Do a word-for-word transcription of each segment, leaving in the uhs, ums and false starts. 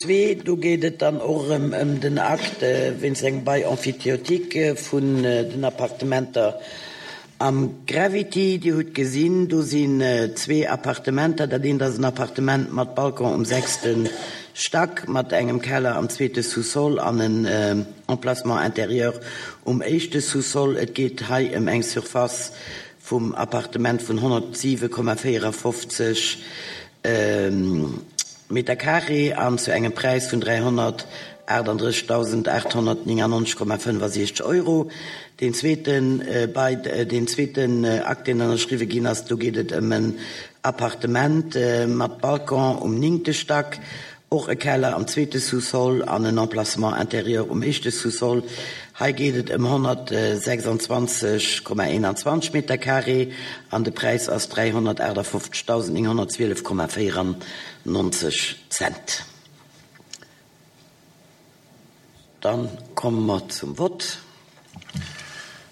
Zwee, do geet et dann och erëm ëm den Akt wéinst engem Bail emphytéotique vun den Appartementer am Gravity. Dir hutt gesinn, do sinn zwee Appartementer. Dat eent ass en Appartement mat Balcon um sechste Stack, mat engem Keller am zweete Sous-sol an en Emplacement intérieur um éischte Sous-sol. Et geet hei ëm eng Surface vum Appartement vun honnertsiwe Komma véierafofzeg Meter carré an zu engem Präis vun dräihonnertaachtanddrëssigdausendaathonnertnéngannonzeg Komma fënnefasiechzeg Euro. Deen zweeten Bail, deen zweeten Akt, deen ënnerschriwwe ginn ass, do geet et ëm en Appartement mat Balcon um néngte Stack, och e Keller am zweete Sous-sol an en Emplacement intérieur um éischte Sous-sol. Hei geet et ëm honnertsechsandzwanzeg Komma eenanzwanzeg Meter carré an de Präis ass dräihonnertaachtafofzegdausendnénghonnertzwielef Komma véierannonzeg Cent. Dann komme mer zum Vott.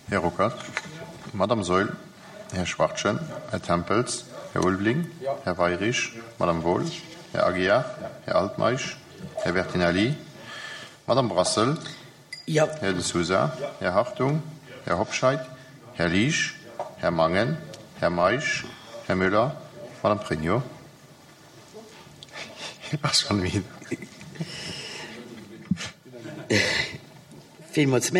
Här Ruckert. Madame Saeul. Här Schwachtgen. Här Tempels. Här Ulveling. Här Weyrich. Madame Wohl. Här Aguiar. Här Altmeisch. Här Bertinelli. Madame Brassel. Jo. Här De Sousa. Här Hartung. Här Hobscheit. Här Liesch. Här Mangen. Här Meisch. Här Müller. Madame Pregno. Ass schonn midd. Villmools Merci.